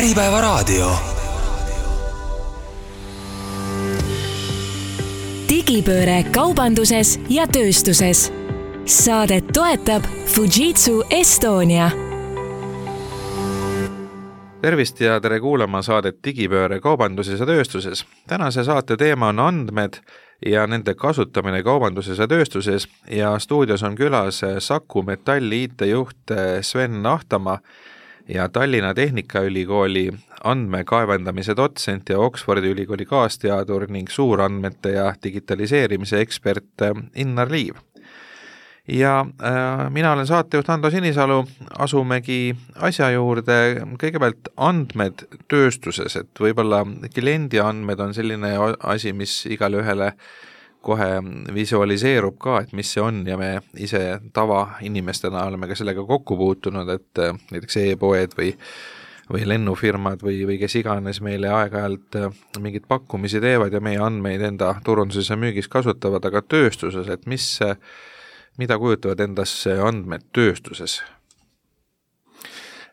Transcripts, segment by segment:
Äripäevaraadio. Digipööre kaubanduses ja tööstuses. Saadet toetab Fujitsu Estonia. Tervist ja tere kuulama saadet Digipööre kaubanduses ja tööstuses. Tänase saate teema on andmed ja nende kasutamine kaubanduses ja tööstuses ja stuudios on külas Saku Metalli IT-juht Sven Ahtamaa ja Tallinna Tehnikaülikooli andmekaevandamise dotsent ja Oxfordi ülikooli kaasteadur ning suurandmete ja digitaliseerimise ekspert Innar Liiv. Ja mina olen saatejuht Ando Sinisalu, asumegi asja juurde kõigepealt andmed tööstuses, et võib-olla kliendi andmed on selline asi, mis igale ühele kohe visualiseerub ka, et mis see on ja me ise tavainimestena oleme ka sellega kokku puutunud, et näiteks e-poed või lennufirmad või kes iganes meile aeg-ajalt mingid pakkumisi teevad ja meie andmeid enda turunduses ja müügis kasutavad, aga tööstuses, et mida kujutavad endasse andmed tööstuses?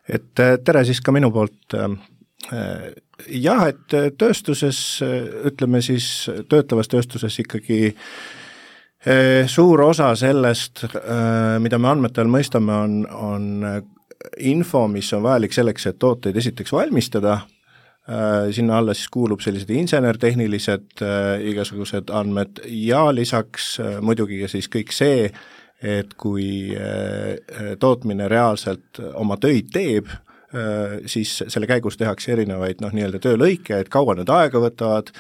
Et tere siis ka minu poolt. Jah, et tööstuses, ütleme siis töötavas tööstuses ikkagi suur osa sellest, mida me andmete all mõistame, on info, mis on vajalik selleks, et tooteid esiteks valmistada. Sinna alla siis kuulub sellised insenertehnilised igasugused andmed ja lisaks muidugi siis kõik see, et kui tootmine reaalselt oma töid teeb, siis selle käigus tehakse erinevaid nii-öelda töölõike, et kaua need aega võtavad,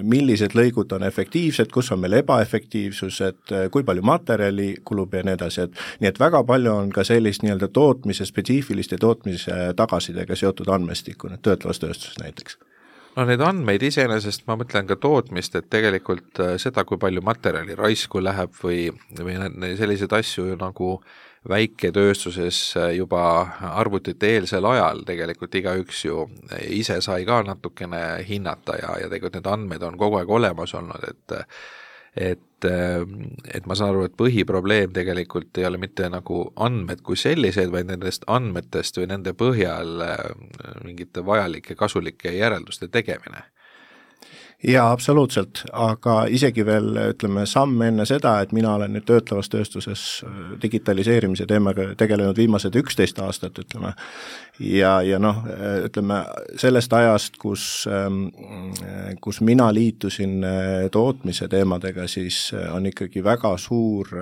millised lõigud on efektiivsed, kus on meil ebaefektiivsus, et kui palju materjali kulub ja nii edasi, nii et väga palju on ka sellist nii-öelda tootmise spetsiifiliste tootmise tagasidega seotud andmestikku, töötlevas tööstuses näiteks. No need andmeid iseenesest, ma mõtlen ka tootmist, et tegelikult seda, kui palju materjali raisku läheb või selliseid asju nagu väiketööstuses juba arvutite eelsel ajal tegelikult igaüks ju ise sai ka natukene hinnata ja tegelikult need andmed on kogu aeg olemas olnud, et ma saan aru, et põhiprobleem tegelikult ei ole mitte nagu andmed kui sellised, vaid nendest andmetest või nende põhjal mingite vajalike kasulike järelduste tegemine. Jaa, absoluutselt, aga isegi veel ütleme samm enne seda, et mina olen nüüd töötlevas tööstuses digitaliseerimise teemaga tegelenud viimased 11 aastat, ütleme, ja ütleme sellest ajast, kus mina liitusin tootmise teemadega, siis on ikkagi väga suur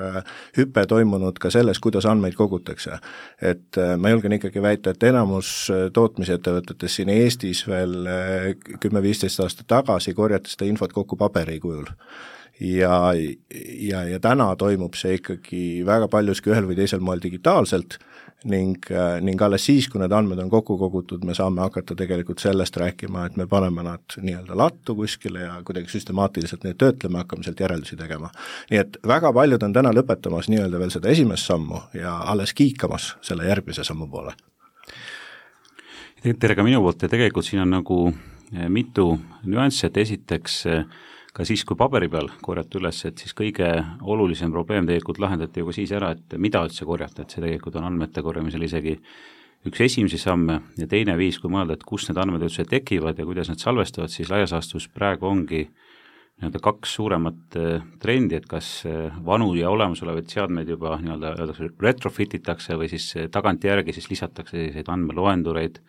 hüpe toimunud ka selles, kuidas andmeid kogutakse. Et ma julgen ikkagi väita, et enamus tootmisettevõtetes siin Eestis veel 10-15 aastat tagasi korjata seda infot kokku paberi kujul. Ja täna toimub see ikkagi väga paljuski ühel või teisel moel digitaalselt ning alles siis, kui need andmed on kokku kogutud, me saame hakata tegelikult sellest rääkima, et me paneme nad nii-öelda lattu kuskile ja kuidagi süstemaatiliselt neid töötleme, hakkame sealt järeldusi tegema. Nii et väga paljud on täna lõpetamas nii-öelda veel seda esimest sammu ja alles kiikamas selle järgmise sammu poole. Tere ka minu poolt ja tegelikult siin on nagu mitu nüanssi, et esiteks ka siis, kui paberi peal korjata üles, et siis kõige olulisem probleem tegelikult lahendati juba siis ära, et mida üldse korjata, et see tegelikult on andmete korjamisel isegi üks esimesi samme ja teine viis, kui mõelda, et kus need andmed üldse tekivad ja kuidas need salvestavad, siis laias laastus praegu ongi nii-öelda kaks suuremat trendi, et kas vanu ja olemasolevaid seadmeid juba nii-öelda retrofititakse või siis tagantjärgi siis lisatakse selliseid andmeloendureid,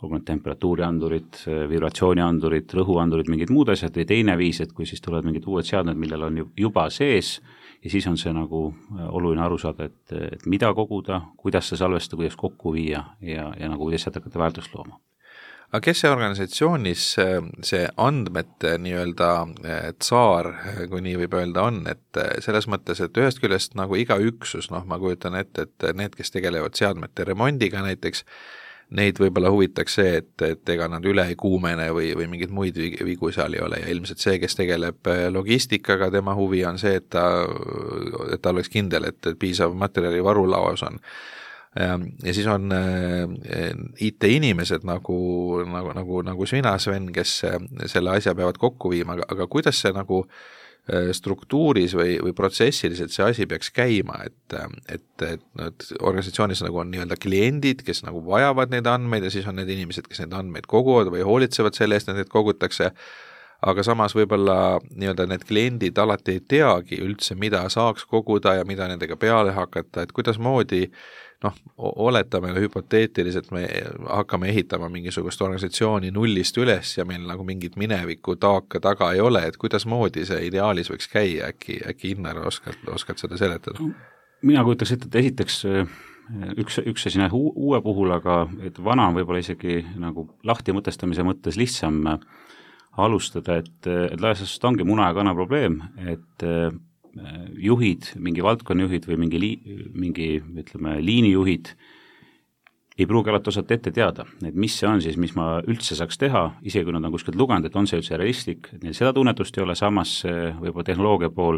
olgu need temperatuuriandurid, vibratsiooniandurid, rõhuandurid, mingid muud asjad või teine viis, et kui siis tulevad mingid uued seadmed, millel on juba sees ja siis on see nagu oluline aru saada, et mida koguda, kuidas see salvestada, kuidas kokku viia ja nagu kuidas hakata väärtust looma. Aga kes see organisatsioonis see andmete nii-öelda tsaar, kui nii võib öelda on, et selles mõttes, et ühest küljest nagu iga üksus, ma kujutan ette, et need, kes tegelevad seadmete remondiga näiteks, neid võib-olla huvitaks see, et ega nad üle ei kuumene või mingeid muid vigu seal ei ole ja ilmselt see, kes tegeleb logistikaga, tema huvi on see, et ta oleks kindel, et piisav materjali varulauas on. Ja siis on IT-inimesed nagu sina, Sven, kes selle asja peavad kokku viima, aga kuidas see nagu struktuuris või protsessiliselt see asi peaks käima, et organisatsioonis nagu on nii-öelda kliendid, kes nagu vajavad neid andmeid ja siis on need inimesed, kes neid andmeid koguvad või hoolitsevad selle eest, et neid kogutakse, aga samas võib-olla nii-öelda need kliendid alati ei teagi üldse, mida saaks koguda ja mida nendega peale hakata, et kuidasmoodi oletame hüpoteetiliselt, me hakkame ehitama mingisugust organisatsiooni nullist üles ja meil nagu mingit mineviku taaka taga ei ole, et kuidasmoodi see ideaalis võiks käia, äkki Innar oskad seda seletada? Mina kujutaks ette, et esiteks üks asi uue puhul, aga et vana on võib-olla isegi nagu lahti mõtestamise mõttes lihtsam alustada, et laias laastus ongi muna ja kana probleem, et juhid, mingi valdkonnajuhid või mingi ütleme, liinijuhid ei pruugi alati osata ette teada, et mis see on siis, mis ma üldse saaks teha, isegi kui nad on kuskilt lugenud, et on see üldse realistlik, et neil seda tunnetust ei ole, samas võib-olla tehnoloogia pool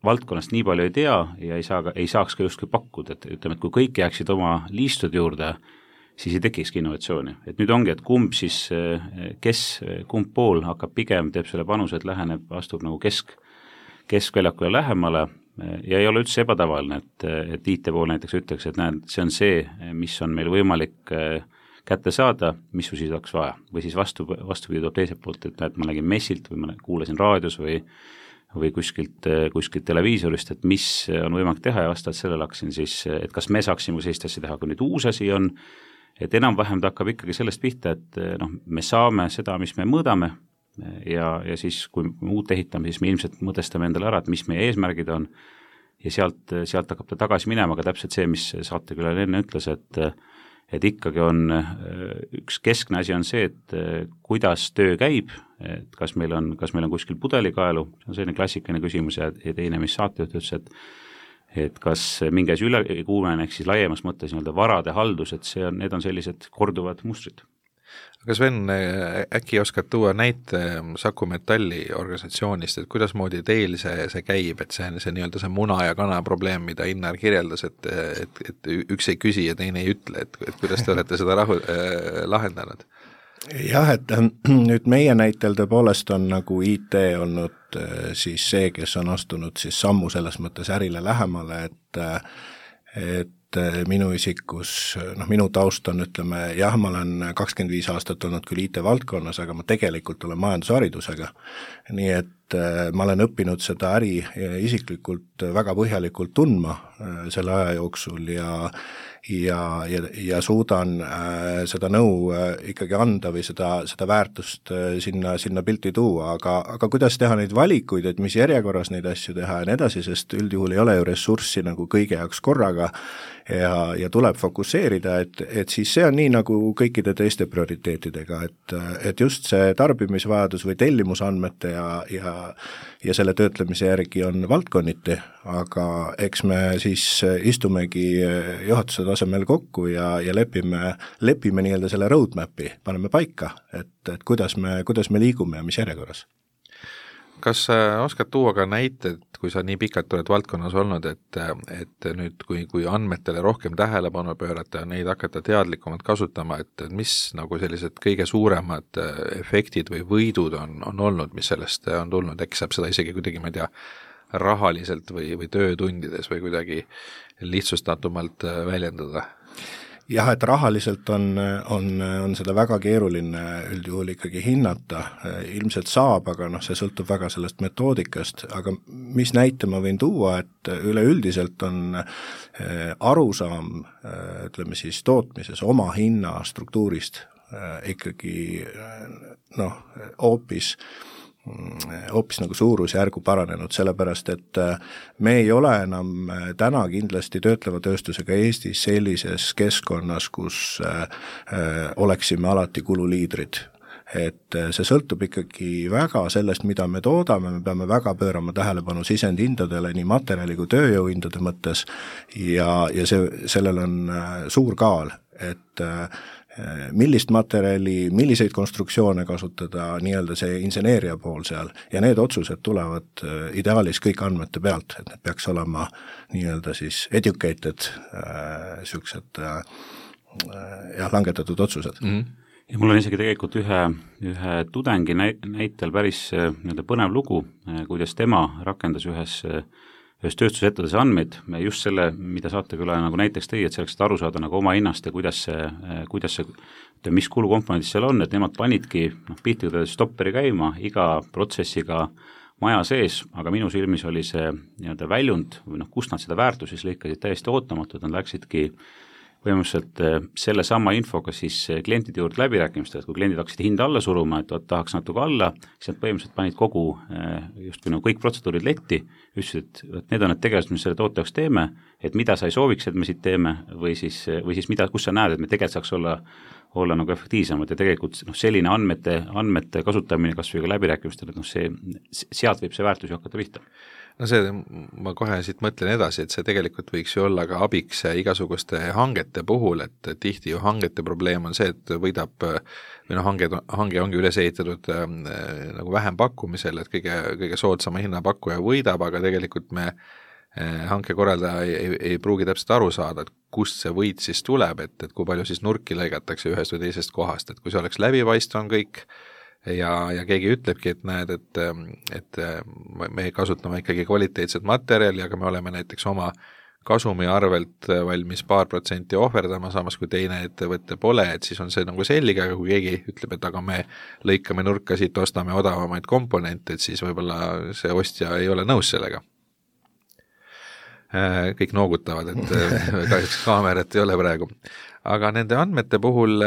valdkonnast nii palju ei tea ja ei saaks ka justkui pakkuda, et ütleme, et kui kõik jääksid oma liistud juurde, siis ei tekikski innovatsiooni. Et nüüd ongi, et kumb siis, kumb pool hakkab pigem, teeb selle panuse, et läheneb, astub nagu keskväljakule lähemale ja ei ole üldse ebatavaline, et IT pool näiteks ütleks, et näed, see on see, mis on meil võimalik kätte saada, mis siis oleks vaja. Või siis vastupidi tuleb teiselt poolt, et näed, ma nägin messilt või ma kuulasin raadios või kuskilt televiisorist, et mis on võimalik teha ja vastavalt sellele hakkasin siis, et kas me saaksime sellist asja teha, kui nüüd uus asi on, et enam-vähem ta hakkab ikkagi sellest pihta, et me saame seda, mis me mõõdame, ja siis, kui me uut ehitame, siis me ilmselt mõtestame endale ära, et mis meie eesmärgid on ja sealt hakkab ta tagasi minema, aga täpselt see, mis saatekülaline enne ütles, et ikkagi on üks keskne asi on see, et kuidas töö käib, et kas meil on kuskil pudelikaelu, see on selline klassikaline küsimus ja teine, mis saatejuht ütles, et kas mingi asi ülekuumene, ehk siis laiemas mõttes nii-öelda varade haldus, et need on sellised korduvad mustrid. Aga Sven, äkki oskad tuua näite Saku Metalli organisatsioonist, et kuidasmoodi teil see käib, et see nii-öelda see muna ja kana probleem, mida Innar kirjeldas, et üks ei küsi ja teine ei ütle, et kuidas te olete seda lahendanud? Jah, et nüüd meie näitel tõepoolest on nagu IT olnud siis see, kes on astunud siis sammu selles mõttes ärile lähemale, et minu isikus, minu taust on, ütleme, jah, ma olen 25 aastat olnud küll IT-valdkonnas, aga ma tegelikult olen majandusharidusega. Nii et ma olen õppinud seda äri isiklikult väga põhjalikult tundma selle aja jooksul ja suudan seda nõu ikkagi anda või seda väärtust sinna pilti tuua, aga kuidas teha neid valikuid, et mis järjekorras neid asju teha ja nii edasi, sest üldjuhul ei ole ju ressurssi nagu kõige jaoks korraga ja tuleb fokusseerida, et siis see on nii nagu kõikide teiste prioriteetidega, et just see tarbimisvajadus või tellimusandmete ja selle töötlemise järgi on valdkonniti, aga eks me siis istumegi juhatuse tasemel kokku ja lepime nii-öelda selle roadmapi, paneme paika, et kuidas me liigume ja mis järjekorras. Kas oskad tuua ka näited, kui sa nii pikalt oled valdkonnas olnud, et nüüd, kui andmetele rohkem tähelepanu pöörata ja neid hakata teadlikumalt kasutama, et mis nagu sellised kõige suuremad efektid või võidud on olnud, mis sellest on tulnud, äkki saab seda isegi kuidagi, ma ei tea, rahaliselt või töötundides või kuidagi lihtsustatumalt väljendada? Jah, et rahaliselt on seda väga keeruline üldjuhul ikkagi hinnata, ilmselt saab, aga see sõltub väga sellest metoodikast, aga mis näite ma võin tuua, et üleüldiselt on arusaam, ütleme siis tootmises oma hinna struktuurist ikkagi hoopis nagu suurusjärgu paranenud, sellepärast et me ei ole enam täna kindlasti töötleva tööstusega Eestis sellises keskkonnas, kus oleksime alati kululiidrid. Et see sõltub ikkagi väga sellest, mida me toodame, me peame väga pöörama tähelepanu sisendhindadele nii materjali kui tööjõuhindade mõttes ja sellel on suur kaal, et millist materjali, milliseid konstruktsioone kasutada, nii-öelda see inseneeria pool seal ja need otsused tulevad ideaalis kõik andmete pealt, et need peaks olema nii-öelda siis educated langetatud otsused. ja mul on isegi tegelikult ühe tudengi näitel päris nii-öelda põnev lugu, kuidas tema rakendas ühes tööstusettevõttes andmeid, just selle, mida saatekülaja nagu näiteks tõi, et selleks, et aru saada nagu oma hinnast ja kuidas see, mis kulukomponendid seal on, et nemad panidki piltlikult stopperi käima iga protsessiga maja sees, aga minu silmis oli see nii-öelda väljund või kust nad seda väärtust siis lõikasid täiesti ootamatult, nad läksidki põhimõtteliselt selle sama infoga siis klientide juurde läbirääkimistele, et kui kliendid hakkasid hinda alla suruma, et tahaks natuke alla, siis nad põhimõtteliselt panid kogu justkui nagu kõik protseduurid letti, ütlesid, et need on need tegelased, mis selle toote jaoks teeme, et mida sa ei sooviks, et me siit teeme, või siis mida, kus sa näed, et me tegelikult saaks olla nagu efektiivsemad ja tegelikult selline andmete kasutamine kas või ka läbirääkimistel, et sealt võib see väärtus ju hakata pihta. No see, ma kohe siit mõtlen edasi, et see tegelikult võiks ju olla ka abiks igasuguste hangete puhul, et tihti ju hangete probleem on see, et võidab, või hange ongi üles ehitatud nagu vähem pakkumisel, et kõige soodsama hinnapakkuja võidab, aga tegelikult me hankekorraldaja ei pruugi täpselt aru saada, et kust see võit siis tuleb, et kui palju siis nurki lõigatakse ühest või teisest kohast, et kui see oleks läbipaistv on kõik ja keegi ütlebki, et näed, et me kasutame ikkagi kvaliteetset materjali, aga me oleme näiteks oma kasumi arvelt valmis paar protsenti ohverdama, samas kui teine ettevõte pole, et siis on see nagu selge, aga kui keegi ütleb, et aga me lõikame nurka siit, ostame odavamaid komponente, et siis võib-olla see ostja ei ole nõus sellega. Kõik noogutavad, et kahjuks kaamerat ei ole praegu. Aga nende andmete puhul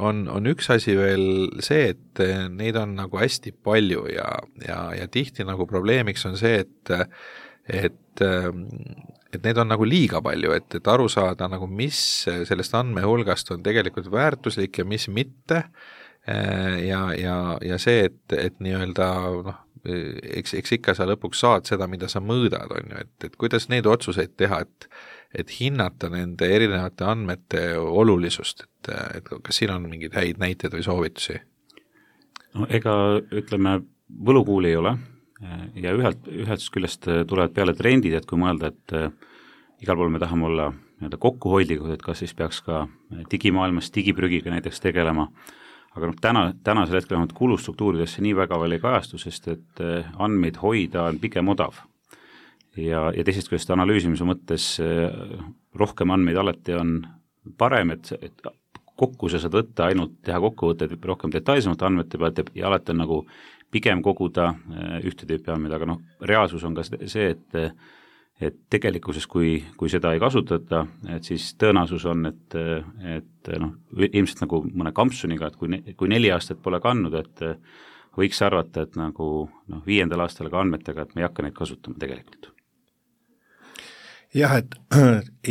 on üks asi veel see, et neid on nagu hästi palju ja tihti nagu probleemiks on see, et neid on nagu liiga palju, et aru saada nagu mis sellest andmehulgast on tegelikult väärtuslik ja mis mitte ja see, et nii-öelda eks ikka sa lõpuks saad seda, mida sa mõõdad, on ju, et kuidas neid otsuseid teha, et hinnata nende erinevate andmete olulisust, et kas siin on mingeid häid näiteid või soovitusi? No ega ütleme, võlukuuli ei ole ja ühelt küljest tulevad peale trendid, et kui mõelda, et igal pool me tahame olla nii-öelda kokkuhoidlikud, et kas siis peaks ka digimaailmas digiprügiga näiteks tegelema, aga tänasel hetkel on kulustruktuuridesse nii väga veel ei kajastu, sest et andmeid hoida on pigem odav. Ja teisest küljest analüüsimise mõttes rohkem andmeid alati on parem, et kokku sa saad võtta ainult teha kokkuvõtted rohkem detailsemalt andmete pealt ja alati on nagu pigem koguda ühte tüüpi andmeid, aga reaalsus on ka see, et tegelikkuses, kui seda ei kasutata, et siis tõenäosus on, et ilmselt nagu mõne kampsuniga, et kui 4 aastat pole kandnud, et võiks arvata, et nagu 5. aastal ka andmetega, et me ei hakka neid kasutama tegelikult. Jah, et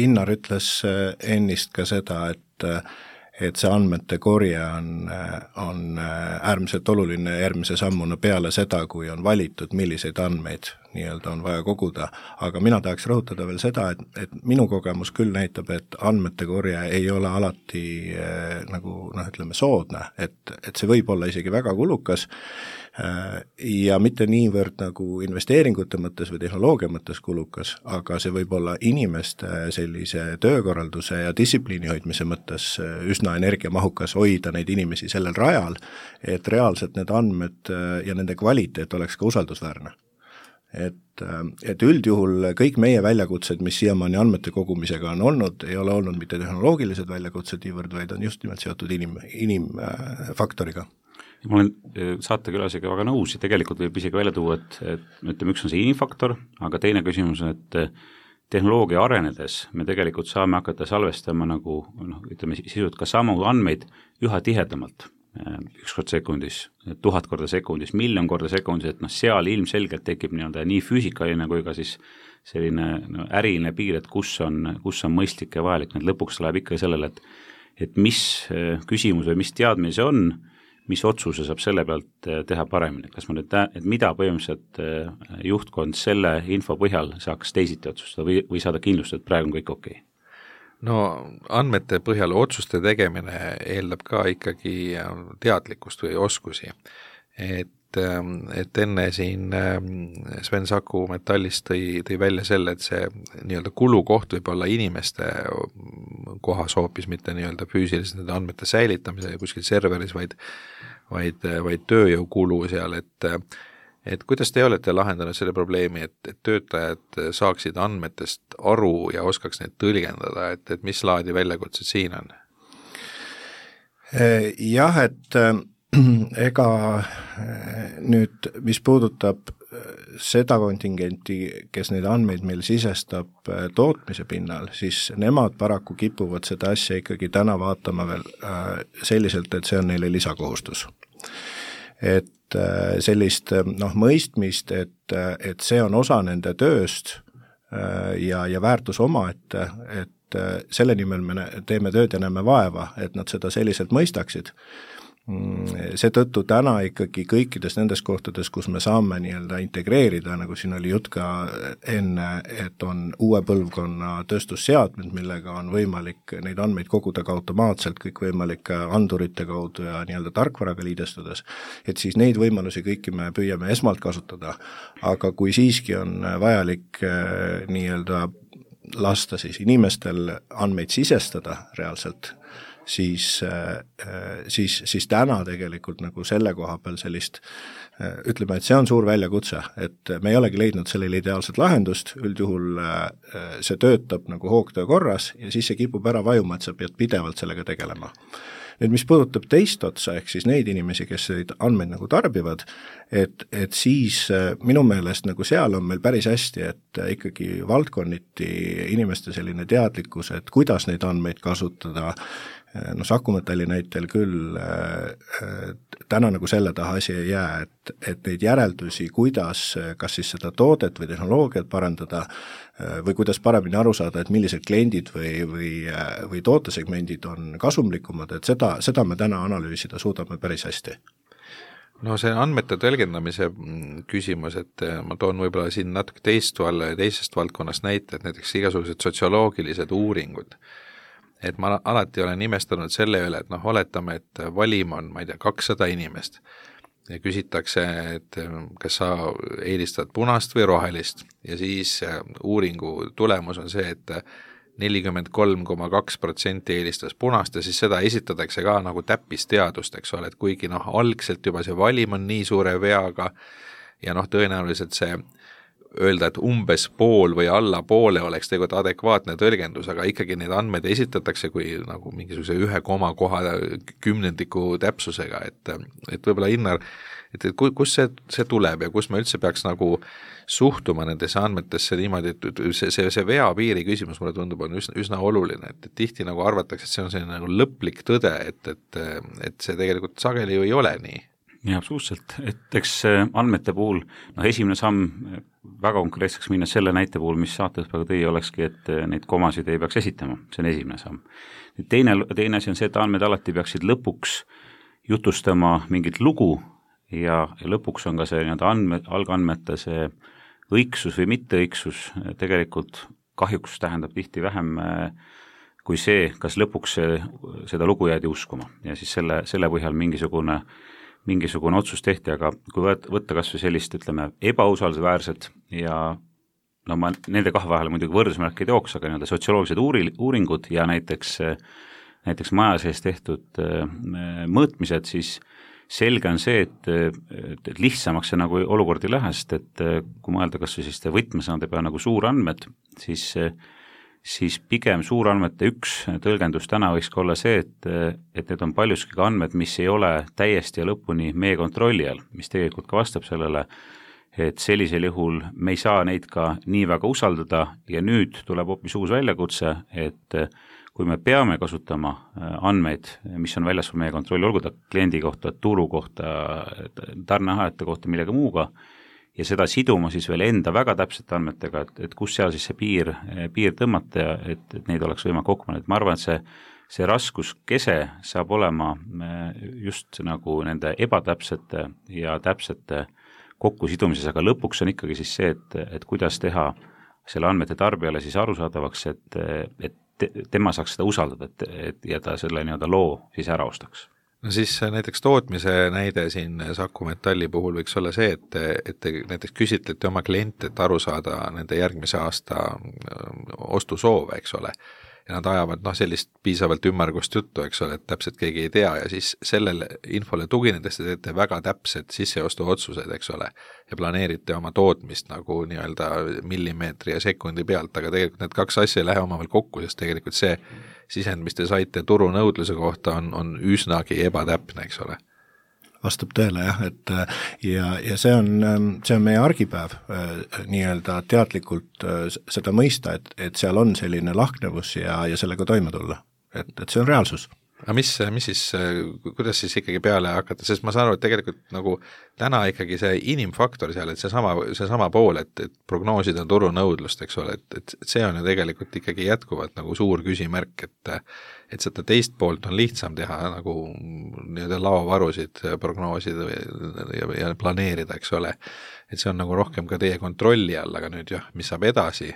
Innar ütles ennist ka seda, et see andmete korje on äärmiselt oluline järgmise sammuna peale seda, kui on valitud, milliseid andmeid nii-öelda on vaja koguda, aga mina tahaks rõhutada veel seda, et minu kogemus küll näitab, et andmete korje ei ole alati ütleme soodne, et see võib olla isegi väga kulukas ja mitte niivõrd nagu investeeringute mõttes või tehnoloogia mõttes kulukas, aga see võib olla inimeste sellise töökorralduse ja distsipliini hoidmise mõttes üsna energiamahukas hoida neid inimesi sellel rajal, et reaalselt need andmed ja nende kvaliteet oleks ka usaldusväärne. Et üldjuhul kõik meie väljakutsed, mis siiamaani andmete kogumisega on olnud, ei ole olnud mitte tehnoloogilised väljakutsed niivõrd, vaid on just nimelt seotud inimfaktoriga. Ma olen saatekülasega väga nõus ja tegelikult võib isegi välja tuua, et ütleme, üks on see inimfaktor, aga teine küsimus on, et tehnoloogia arenedes me tegelikult saame hakata salvestama nagu, ütleme sisult ka samu andmeid üha tihedamalt. 1 kord sekundis, 1000 korda sekundis, 1 000 000 korda sekundis, et seal ilmselgelt tekib nii füüsikaline kui ka siis selline äriline piir, et kus on mõistlik ja vajalik, et lõpuks läheb ikka sellele, et mis küsimus või mis teadmine see on, mis otsuse saab selle pealt teha paremini, kas ma nüüd et mida põhimõtteliselt juhtkond selle info põhjal saaks teisiti otsustada või saada kindlustada, et praegu on kõik okei? No andmete põhjal otsuste tegemine eeldab ka ikkagi teadlikkust või oskusi, et et enne siin Sven Saku Metallist tõi välja selle, et see nii-öelda kulukoht võib olla inimeste kohas hoopis mitte nii-öelda füüsiliselt nende andmete säilitamise kuskil serveris, vaid tööjõukulu seal, et kuidas te olete lahendanud selle probleemi, et töötajad saaksid andmetest aru ja oskaks neid tõlgendada, et mis laadi väljakutsed siin on? Jah, et ega nüüd, mis puudutab seda kontingenti, kes neid andmeid meil sisestab tootmise pinnal, siis nemad paraku kipuvad seda asja ikkagi täna vaatama veel selliselt, et see on neile lisakohustus. Et sellist mõistmist, et see on osa nende tööst ja väärtus omaette, et selle nimel me teeme tööd ja näeme vaeva, et nad seda selliselt mõistaksid. Seetõttu täna ikkagi kõikides nendes kohtades, kus me saame nii-öelda integreerida, nagu siin oli jutt ka enne, et on uue põlvkonna tööstusseadmed, millega on võimalik neid andmeid koguda ka automaatselt kõikvõimalike andurite kaudu ja nii-öelda tarkvaraga liidestudes, et siis neid võimalusi kõiki me püüame esmalt kasutada, aga kui siiski on vajalik nii-öelda lasta siis inimestel andmeid sisestada reaalselt, siis täna tegelikult nagu selle koha peal sellist, ütleme, et see on suur väljakutse, et me ei olegi leidnud sellele ideaalset lahendust, üldjuhul see töötab nagu hoogtöö korras ja siis see kipub ära vajuma, et sa pead pidevalt sellega tegelema. Nüüd, mis puudutab teist otsa, ehk siis neid inimesi, kes neid andmeid nagu tarbivad, et siis minu meelest nagu seal on meil päris hästi, et ikkagi valdkonniti inimeste selline teadlikkus, et kuidas neid andmeid kasutada, Saku Metalli näitel küll täna nagu selle taha asi ei jää, et neid järeldusi, kuidas kas siis seda toodet või tehnoloogiat parandada või kuidas paremini aru saada, et millised kliendid või tootesegmendid on kasumlikumad, et seda me täna analüüsida suudame päris hästi. No see andmete tõlgendamise küsimus, et ma toon võib-olla siin natuke teisest valdkonnast näite, et näiteks igasugused sotsioloogilised uuringud, et ma alati olen nimestanud selle üle, et oletame, et valim on, ma ei tea, 200 inimest ja küsitakse, et kas sa eelistad punast või rohelist ja siis uuringu tulemus on see, et 43,2% eelistas punast ja siis seda esitatakse ka nagu täppisteadust, eks ole, et kuigi algselt juba see valim on nii suure veaga ja tõenäoliselt see öelda, et umbes pool või alla poole oleks tegelikult adekvaatne tõlgendus, aga ikkagi neid andmeid esitatakse kui nagu mingisuguse 1,10 täpsusega, et võib-olla Innar, et kus see tuleb ja kus me üldse peaks nagu suhtuma nendesse andmetesse niimoodi, et see veapiiri küsimus mulle tundub on üsna oluline, et tihti nagu arvatakse, et see on selline nagu lõplik tõde, et see tegelikult sageli ju ei ole nii. Ja absoluutselt, et eks andmete puhul, esimene samm väga konkreetseks minna selle näite puhul, mis saates praegu tõi, olekski, et neid komasid ei peaks esitama, see on esimene samm. Teine asi on see, et andmed alati peaksid lõpuks jutustama mingit lugu ja lõpuks on ka see algandmete see õigsus või mitteõigsus tegelikult kahjuks tähendab tihti vähem kui see, kas lõpuks seda lugu jäädi uskuma ja siis selle põhjal mingisugune otsus tehti, aga kui võtta kas või sellist, ütleme, ebausaldusväärset ja ma nende kahe vahele muidugi võrdusmärke ei tooks, aga sotsioloogilised uuringud ja näiteks maja sees tehtud mõõtmised, siis selge on see, et lihtsamaks see nagu olukord ei lähe, sest et kui mõelda kas või selliste võtmesõnade peale nagu suurandmed, siis pigem suurandmete üks tõlgendus täna võiks ka olla see, et need on paljuski ka andmed, mis ei ole täiesti ja lõpuni meie kontrolli all, mis tegelikult ka vastab sellele, et sellisel juhul me ei saa neid ka nii väga usaldada ja nüüd tuleb hoopis uus väljakutse, et kui me peame kasutama andmeid, mis on väljaspool meie kontrolli, olgu ta kliendi kohta, turu kohta, tarneahajate kohta, millega muuga, ja seda siduma siis veel enda väga täpsete andmetega, et kus seal siis see piir tõmmata ja et neid oleks võimalik kokku panna, et ma arvan, et see raskuskese saab olema just nagu nende ebatäpsete ja täpsete kokkusidumises, aga lõpuks on ikkagi siis see, et kuidas teha selle andmete tarbijale siis arusaadavaks, et tema saaks seda usaldada, ja ta selle loo siis ära ostaks. No siis näiteks tootmise näide siin Saku Metalli puhul võiks olla see, et te näiteks küsitlete oma kliente, et aru saada nende järgmise aasta ostusoove, eks ole, ja nad ajavad sellist piisavalt ümmargust juttu, eks ole, et täpselt keegi ei tea ja siis sellele infole tuginedes te teete väga täpsed sisseostu otsused, eks ole, ja planeerite oma tootmist nagu nii-öelda millimeetri ja sekundi pealt, aga tegelikult need kaks asja ei lähe omavahel kokku, sest tegelikult see sisend, mis te saite turunõudluse kohta, on üsnagi ebatäpne, eks ole. Vastab tõele jah, et ja see on meie argipäev nii-öelda teadlikult seda mõista, et seal on selline lahknevus ja sellega toime tulla, et see on reaalsus. Aga mis siis, kuidas siis ikkagi peale hakata, sest ma saan aru, et tegelikult nagu täna ikkagi see inimfaktor seal, et seesama pool, et prognoosida turunõudlust, eks ole, et see on ju tegelikult ikkagi jätkuvalt nagu suur küsimärk, et seda teist poolt on lihtsam teha nagu nii-öelda laovarusid prognoosida ja planeerida, eks ole, et see on nagu rohkem ka teie kontrolli all, aga nüüd jah, mis saab edasi,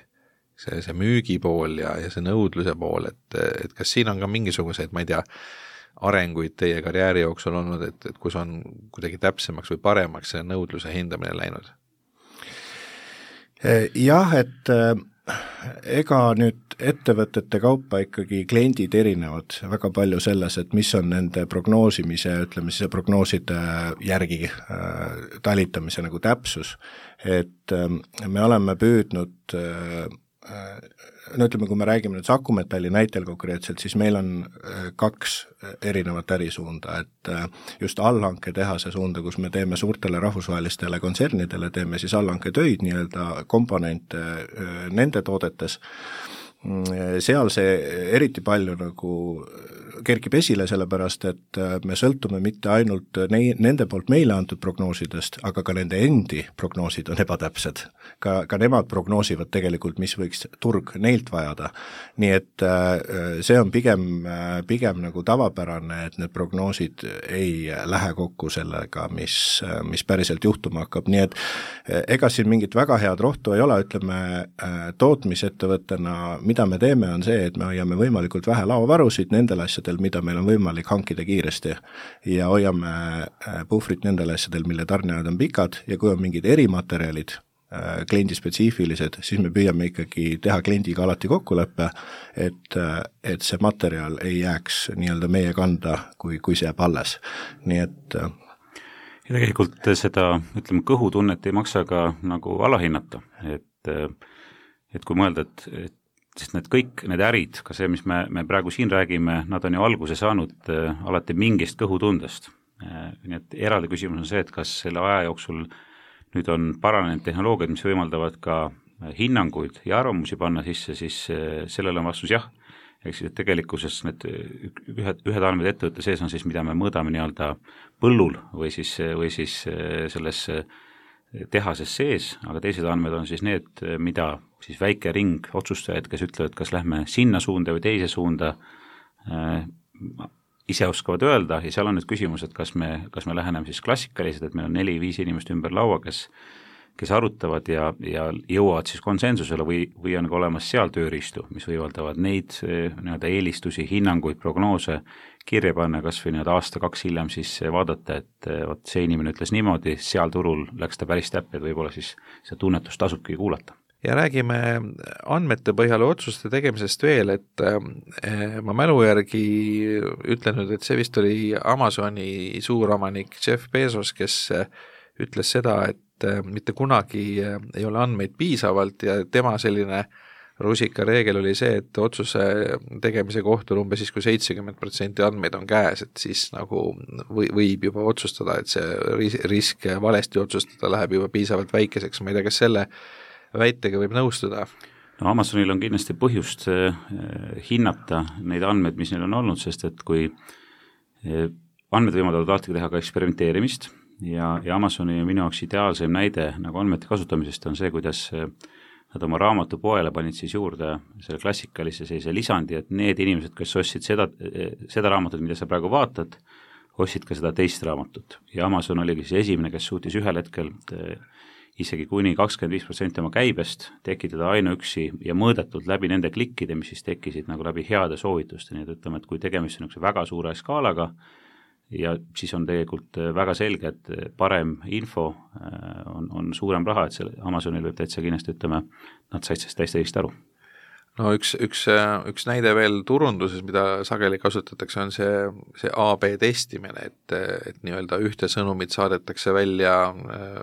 see müügipool ja see nõudluse pool, et kas siin on ka mingisuguseid, ma ei tea, arenguid teie karjääri jooksul olnud, et kus on kuidagi täpsemaks või paremaks see nõudluse hindamine läinud? Jah, et ega nüüd ettevõtete kaupa ikkagi kliendid erinevad väga palju selles, et mis on nende prognoosimise, ütleme siis prognooside järgi talitamise nagu täpsus, et me oleme püüdnud no ütleme, kui me räägime nüüd Saku Metalli näitel konkreetselt, siis meil on kaks erinevat ärisuunda, et just allhanke tehase suunda, kus me teeme suurtele rahvusvahelistele kontsernidele, teeme siis allhanke töid, nii-öelda komponente nende toodetes, seal see eriti palju nagu kerkib esile, sellepärast et me sõltume mitte ainult nende poolt meile antud prognoosidest, aga ka nende endi prognoosid on ebatäpsed. Ka nemad prognoosivad tegelikult, mis võiks turg neilt vajada. Nii et see on pigem nagu tavapärane, et need prognoosid ei lähe kokku sellega, mis päriselt juhtuma hakkab. Nii et ega siin mingit väga head rohtu ei ole, ütleme tootmisettevõttena, mida me teeme, on see, et me hoiame võimalikult vähe laovarusid nendel asjadel, mida meil on võimalik hankida kiiresti ja hoiame puhvrit nendel asjadel, mille tarneajad on pikad ja kui on mingid erimaterjalid, kliendispetsiifilised, siis me püüame ikkagi teha kliendiga alati kokkuleppe, et see materjal ei jääks nii-öelda meie kanda, kui see jääb alles. Nii et ja tegelikult seda, ütleme, kõhutunnet ei maksa ka nagu alahinnata, et kui mõelda, et sest kõik need ärid, ka see, mis me praegu siin räägime, nad on ju alguse saanud alati mingist kõhutundest. Nii et eraldi küsimus on see, et kas selle aja jooksul nüüd on paranenud tehnoloogiad, mis võimaldavad ka hinnanguid ja arvamusi panna sisse, siis sellele on vastus jah. Ehk siis, et tegelikkuses need ühed andmed ettevõtte sees on siis, mida me mõõdame nii-öelda põllul või siis selles tehases sees, aga teised andmed on siis need, mida siis väike ring otsustajaid, kes ütlevad, kas lähme sinna suunda või teise suunda, ise oskavad öelda ja seal on nüüd küsimus, et kas me läheneme siis klassikalised, et meil on 4-5 inimest ümber laua, kes arutavad ja jõuavad siis konsensusele või on ka olemas seal tööriistu, mis võimaldavad neid nii-öelda eelistusi, hinnanguid, prognoose kirja panna, kas või nii-öelda aasta-2 hiljem siis vaadata, et võt, see inimene ütles niimoodi, seal turul läks ta päris täppi, et võib-olla siis see tunnetus tasubki kuulata. Ja räägime andmete põhjal otsuste tegemisest veel, et ma mälu järgi ütlen nüüd, et see vist oli Amazoni suuromanik Jeff Bezos, kes ütles seda, et mitte kunagi ei ole andmeid piisavalt ja tema selline rusika reegel oli see, et otsuse tegemise kohtul umbes siis, kui 70% andmeid on käes, et siis nagu võib juba otsustada, et see risk valesti otsustada läheb juba piisavalt väikeseks, ma ei tea, kas selle väitega võib nõustuda? No Amazonil on kindlasti põhjust hinnata neid andmeid, mis neil on olnud, sest et kui andmed võimaldavad alati teha ka eksperimenteerimist ja Amazoni minu jaoks ideaalsem näide nagu andmete kasutamisest on see, kuidas nad oma raamatupoele panid siis juurde selle klassikalise sellise lisandi, et need inimesed, kes ostsid seda raamatut, mida sa praegu vaatad, ostsid ka seda teist raamatut. Ja Amazon oligi siis esimene, kes suutis ühel hetkel isegi kuni 25% oma käibest tekitada ainuüksi ja mõõdetult läbi nende klikkide, mis siis tekkisid nagu läbi heade soovituste, nii et ütleme, et kui tegemist on väga suure skaalaga, ja siis on tegelikult väga selge, et parem info on suurem raha, et selle Amazonil võib täitsa kindlasti, ütleme, nad said sellest täiesti õigesti aru. No üks näide veel turunduses, mida sageli kasutatakse, on see AB testimine, et nii-öelda ühte sõnumit saadetakse välja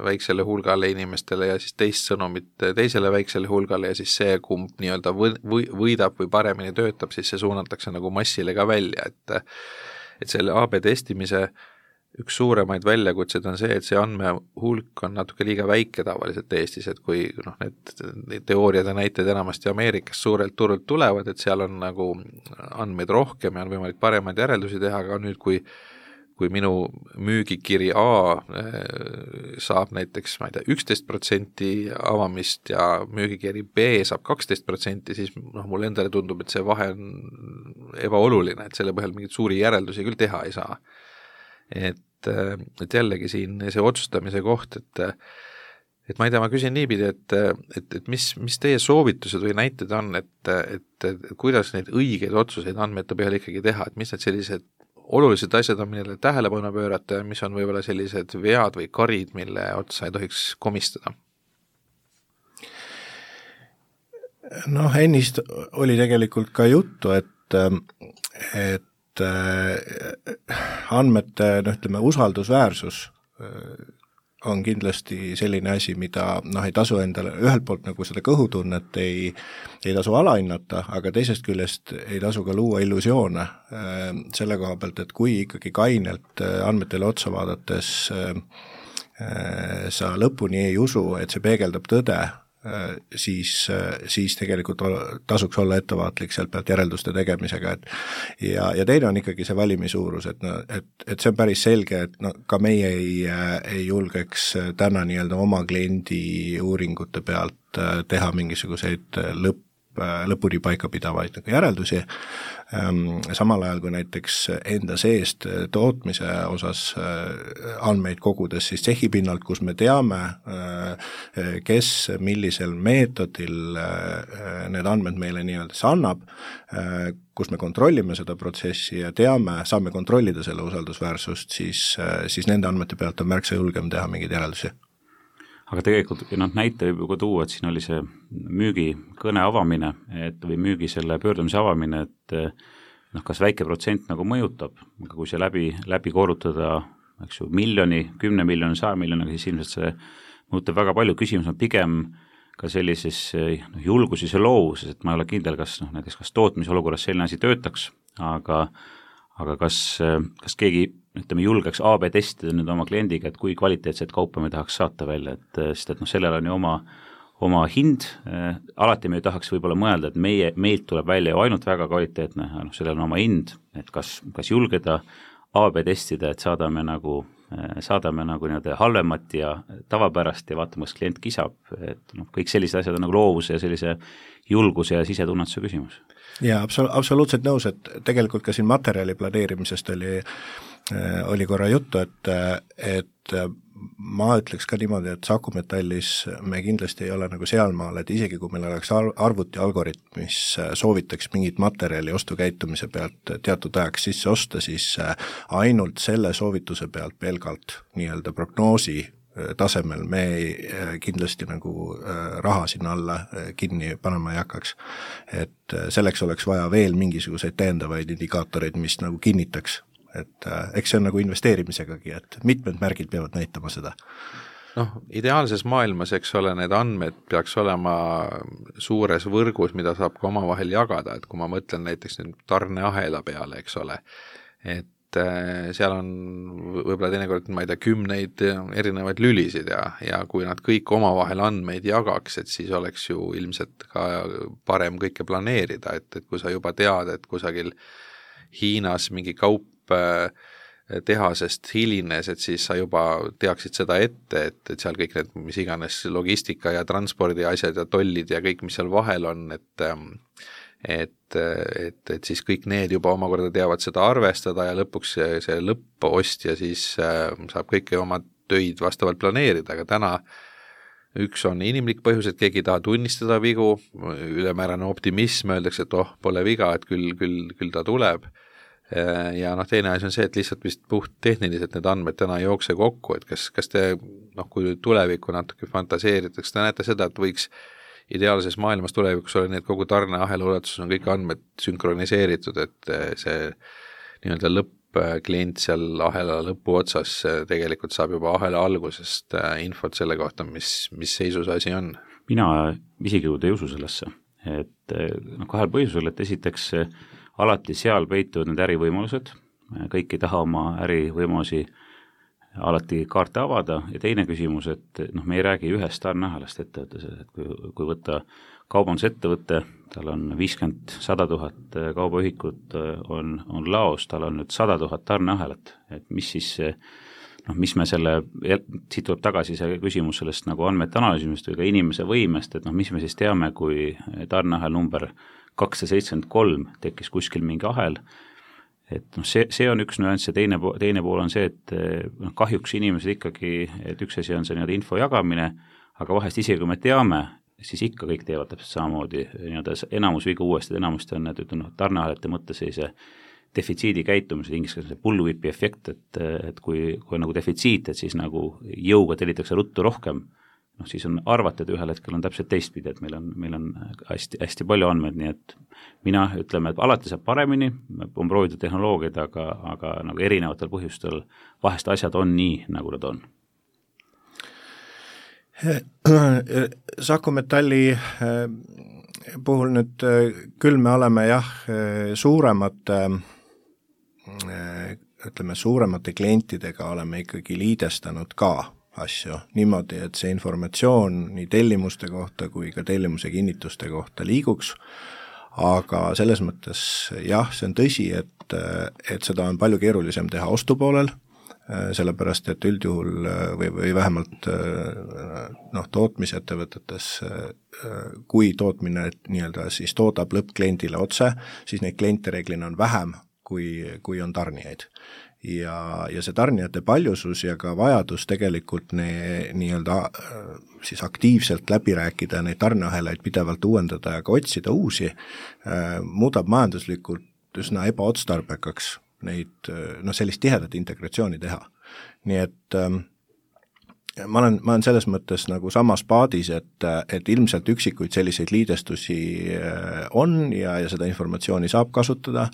väiksele hulgale inimestele ja siis teist sõnumit teisele väiksele hulgale ja siis see, kumb nii-öelda võidab või paremini töötab, siis see suunatakse nagu massile ka välja, et selle AB testimise üks suuremaid väljakutseid on see, et see andmehulk on natuke liiga väike tavaliselt Eestis, et kui need teooriad ja näited enamasti Ameerikast suurelt turult tulevad, et seal on nagu andmeid rohkem ja on võimalik paremaid järeldusi teha, aga nüüd kui minu müügikiri A saab näiteks, ma ei tea, 11% avamist ja müügikiri B saab 12%, siis mulle endale tundub, et see vahe on ebaoluline, et selle põhjal mingeid suuri järeldusi küll teha ei saa. Et jällegi siin see otsustamise koht, et ma ei tea, ma küsin niipidi, et mis teie soovitused või näited on, et kuidas neid õigeid otsuseid andmete põhjal ikkagi teha, et mis need sellised olulised asjad on, millele tähelepanu pöörata ja mis on võib-olla sellised vead või karid, mille otsa ei tohiks komistada? Noh, ennist oli tegelikult ka juttu, et andmete, ütleme, usaldusväärsus on kindlasti selline asi, mida ei tasu endale ühelt poolt nagu seda kõhutunnet ei tasu alahinnata, aga teisest küljest ei tasu ka luua illusioone selle koha pealt, et kui ikkagi kainelt andmetele otsa vaadates sa lõpuni ei usu, et see peegeldab tõde, siis tegelikult tasuks olla ettevaatlik sealt pealt järelduste tegemisega, ja teine on ikkagi see valimisuurus, et see on päris selge, et ka meie ei julgeks täna nii-öelda oma kliendi uuringute pealt teha mingisuguseid lõpuni paikapidavaid järeldusi, samal ajal kui näiteks enda seest tootmise osas andmeid kogudes, siis tsehhi pinnalt, kus me teame, kes millisel meetodil need andmed meile nii-öelda annab, kus me kontrollime seda protsessi ja saame kontrollida selle usaldusväärsust, siis nende andmete pealt on märksa julgem teha mingeid järeldusi. Aga tegelikult näite võib juba tuua, et siin oli see müügikõne avamine või müügi selle pöördumise avamine, et kas väike protsent nagu mõjutab, aga kui see läbi korrutada, eks ju, 1 miljoni, 10 miljoni, 100 miljoniga, siis ilmselt see mõjutab väga palju. Küsimus on pigem ka sellises julguses ja loovuses, et ma ei ole kindel, kas tootmise olukorras selline asi töötaks, aga kas keegi julgeks AB testida nüüd oma kliendiga, et kui kvaliteetset kaupa me tahaks saata välja, sest sellel on ju oma hind, alati me ei tahaks võib-olla mõelda, et meilt tuleb välja ju ainult väga kvaliteetne, sellel on oma hind, et kas julgeda AB testida, et saadame nagu nii-öelda halvemat ja tavapärast ja vaatame, kas klient kisab, et kõik sellised asjad on nagu loovuse ja sellise julguse ja sisetunnetuse küsimus. Ja absoluutselt nõus, et tegelikult ka siin materjali planeerimisest oli korra juttu, et ma ütleks ka niimoodi, et Saku Metallis me kindlasti ei ole nagu sealmaal, et isegi kui meil oleks arvuti algoritm, mis soovitaks mingit materjali ostukäitumise pealt teatud ajaks sisse osta, siis ainult selle soovituse pealt pelgalt nii-öelda prognoosi tasemel me kindlasti nagu raha sinna alla kinni panema ei hakkaks. Et selleks oleks vaja veel mingisuguseid täiendavaid indikaatoreid, mis nagu kinnitaks, et eks see on nagu investeerimisegagi, et mitmed märgid peavad näitama seda. Ideaalses maailmas, eks ole, need andmed peaks olema suures võrgus, mida saab ka omavahel jagada, et kui ma mõtlen näiteks nüüd tarneahela peale, eks ole, et seal on võib-olla teinekord, ma ei tea, 10 erinevaid lülisid ja kui nad kõik omavahel andmeid jagaks, et siis oleks ju ilmselt ka parem kõike planeerida, et kui sa juba tead, et kusagil Hiinas mingi kaup tehasest hilines, et siis sa juba teaksid seda ette, et seal kõik need, mis iganes logistika ja transpordi asjad ja tollid ja kõik, mis seal vahel on, et siis kõik need juba omakorda teavad seda arvestada ja lõpuks see lõppostja siis saab kõike oma töid vastavalt planeerida, aga täna üks on inimlik põhjus, et keegi ei taha tunnistada vigu, ülemäärane optimism, öeldakse, et pole viga, et küll ta tuleb. ja teine asi on see, et lihtsalt vist puht tehniliselt need andmed täna ei jookse kokku, et kas te, kui tulevikku natuke fantaseeritakse, te näete seda, et võiks ideaalses maailmas tulevikus olla nii, et kogu tarneahela ulatuses on kõik andmed sünkroniseeritud, et see nii-öelda lõppklient seal ahela lõpuotsas tegelikult saab juba ahela algusest infot selle kohta, mis seisus asi on. Mina isiklikult ei usu sellesse, et kahel põhjusel, et esiteks alati seal peituvad need ärivõimalused, kõik ei taha oma ärivõimalusi alati kaarte avada ja teine küsimus, et me ei räägi ühest tarneahelast ettevõttes, et kui võtta kaubandusettevõtte, tal on 50-100 000 kaubaühikut on laos, tal on nüüd 100 000 tarneahelat, et mis siis mis me siit tuleb tagasi see küsimus sellest nagu andmete analüüsimist või ka inimese võimest, et mis me siis teame, kui tarneahel number 273 tekkis kuskil mingi ahel, et see on üks nüanss ja teine pool on see, et kahjuks inimesed ikkagi, et üks asi on see nii-öelda info jagamine, aga vahest isegi kui me teame, siis ikka kõik teevad täpselt samamoodi, nii-öelda enamus viga uuesti, enamusti on need tarneahelate mõttes sellise defitsiidi käitumise, inglise keeles bullwhipi efekt, et kui on nagu defitsiit, et siis nagu jõuga tellitakse ruttu rohkem, siis on arvata, et ühel hetkel on täpselt teistpidi, et meil on hästi, hästi palju andmeid, nii et mina ütleme, et alati saab paremini, on proovitud tehnoloogiaid, aga nagu erinevatel põhjustel vahest asjad on nii, nagu nad on. Saku Metalli puhul nüüd küll me oleme suuremate klientidega oleme ikkagi liidestanud ka asju niimoodi, et see informatsioon nii tellimuste kohta kui ka tellimuse kinnituste kohta liiguks, aga selles mõttes see on tõsi, et seda on palju keerulisem teha ostupoolel, sellepärast et üldjuhul või vähemalt tootmisettevõtetes, kui tootmine nii-öelda siis toodab lõppkliendile otse, siis neid kliente reeglina on vähem, kui on tarnijaid. Ja see tarnijate paljusus ja ka vajadus tegelikult nii-öelda siis aktiivselt läbi rääkida, neid tarneahelaid pidevalt uuendada ja ka otsida uusi, muudab majanduslikult üsna ebaotstarbekaks neid, sellist tihedat integratsiooni teha. Nii et ma olen selles mõttes nagu samas paadis, et ilmselt üksikuid selliseid liidestusi on ja seda informatsiooni saab kasutada,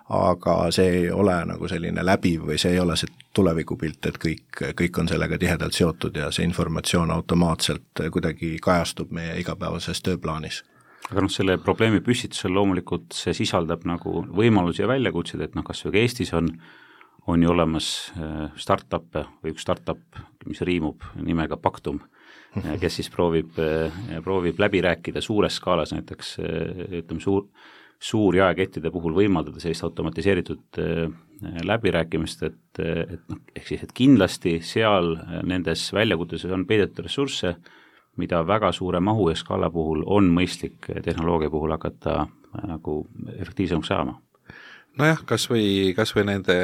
aga see ei ole nagu selline läbiv või see ei ole see tulevikupilt, et kõik on sellega tihedalt seotud ja see informatsioon automaatselt kuidagi kajastub meie igapäevases tööplaanis. Aga selle probleemi püstitusel loomulikult see sisaldab nagu võimalusi ja väljakutseid, et kas või Eestis on ju olemas startup või üks startup, mis riimub nimega Pactum, kes siis proovib läbi rääkida suures skaalas näiteks, ütleme suur jaekettide puhul võimaldada sellist automatiseeritud läbirääkimist, et kindlasti seal nendes väljakutuses on peidetud ressursse, mida väga suure mahu ja skaala puhul on mõistlik tehnoloogia puhul hakata nagu efektiivsemaks saama. Nojah, kas või nende